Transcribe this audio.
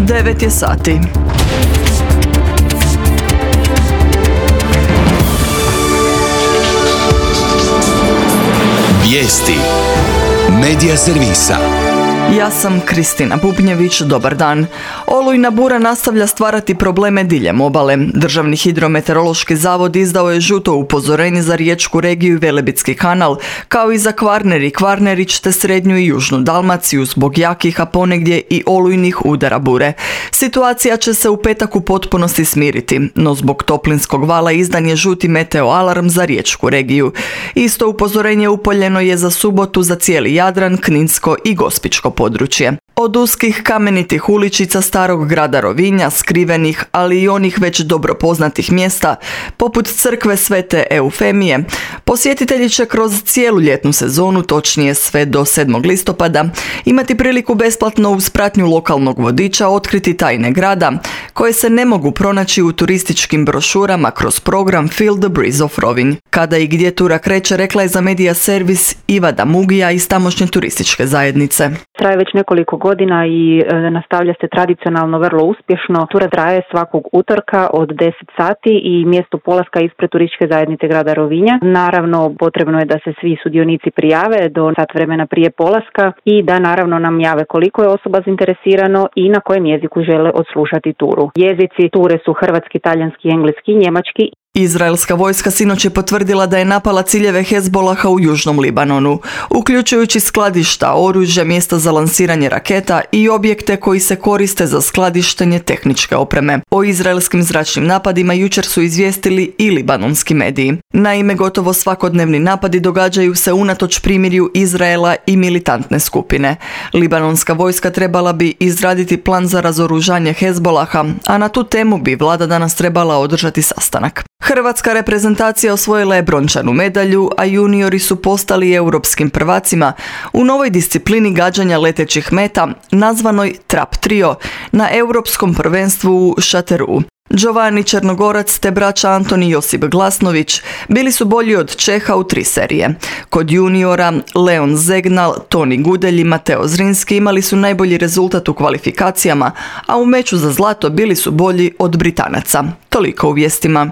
9 je sati. Vijesti Medija servisa. Ja sam Kristina Bubnjević, dobar dan. Olujna bura nastavlja stvarati probleme diljem obale. Državni hidrometeorološki zavod izdao je žuto upozorenje za riječku regiju i Velebitski kanal, kao i za Kvarner i Kvarnerić te srednju i južnu Dalmaciju zbog jakih, a ponegdje i olujnih udara bure. Situacija će se u petak u potpunosti smiriti, no zbog toplinskog vala izdan je žuti meteo alarm za riječku regiju. Isto upozorenje upoljeno je za subotu za cijeli Jadran, Kninsko i Gospičko područje. Od uskih kamenitih uličica starog grada Rovinja, skrivenih, ali i onih već dobro poznatih mjesta, poput crkve Svete Eufemije, posjetitelji će kroz cijelu ljetnu sezonu, točnije sve do 7. listopada, imati priliku besplatno uz pratnju lokalnog vodiča otkriti tajne grada, koje se ne mogu pronaći u turističkim brošurama kroz program Feel the Breeze of Rovinj. Kada i gdje tura kreće, rekla je za Medija servis Iva Damugija iz tamošnje turističke zajednice. Traje već nekoliko godina i nastavlja se tradicionalno vrlo uspješno. Tura traje svakog utorka od 10 sati i mjesto polaska ispred turističke zajednice grada Rovinja. Naravno, potrebno je da se svi sudionici prijave do sat vremena prije polaska i da naravno nam jave koliko je osoba zainteresirano i na kojem jeziku žele odslušati turu. Jezici ture su hrvatski, talijanski, engleski, njemački. Izraelska vojska sinoć je potvrdila da je napala ciljeve Hezbolaha u južnom Libanonu, uključujući skladišta, oružja, mjesta za lansiranje raketa i objekte koji se koriste za skladištenje tehničke opreme. O izraelskim zračnim napadima jučer su izvijestili i libanonski mediji. Naime, gotovo svakodnevni napadi događaju se unatoč primirju Izraela i militantne skupine. Libanonska vojska trebala bi izraditi plan za razoružanje Hezbolaha, a na tu temu bi vlada danas trebala održati sastanak. Hrvatska reprezentacija osvojila je brončanu medalju, a juniori su postali europskim prvacima u novoj disciplini gađanja letećih meta, nazvanoj Trap Trio, na europskom prvenstvu u Šateru. Giovanni Černogorac te braća Antoni i Josip Glasnović bili su bolji od Čeha u 3 serije. Kod juniora Leon Zegnal, Toni Gudelj i Mateo Zrinski imali su najbolji rezultat u kvalifikacijama, a u meču za zlato bili su bolji od Britanaca. Toliko u vijestima.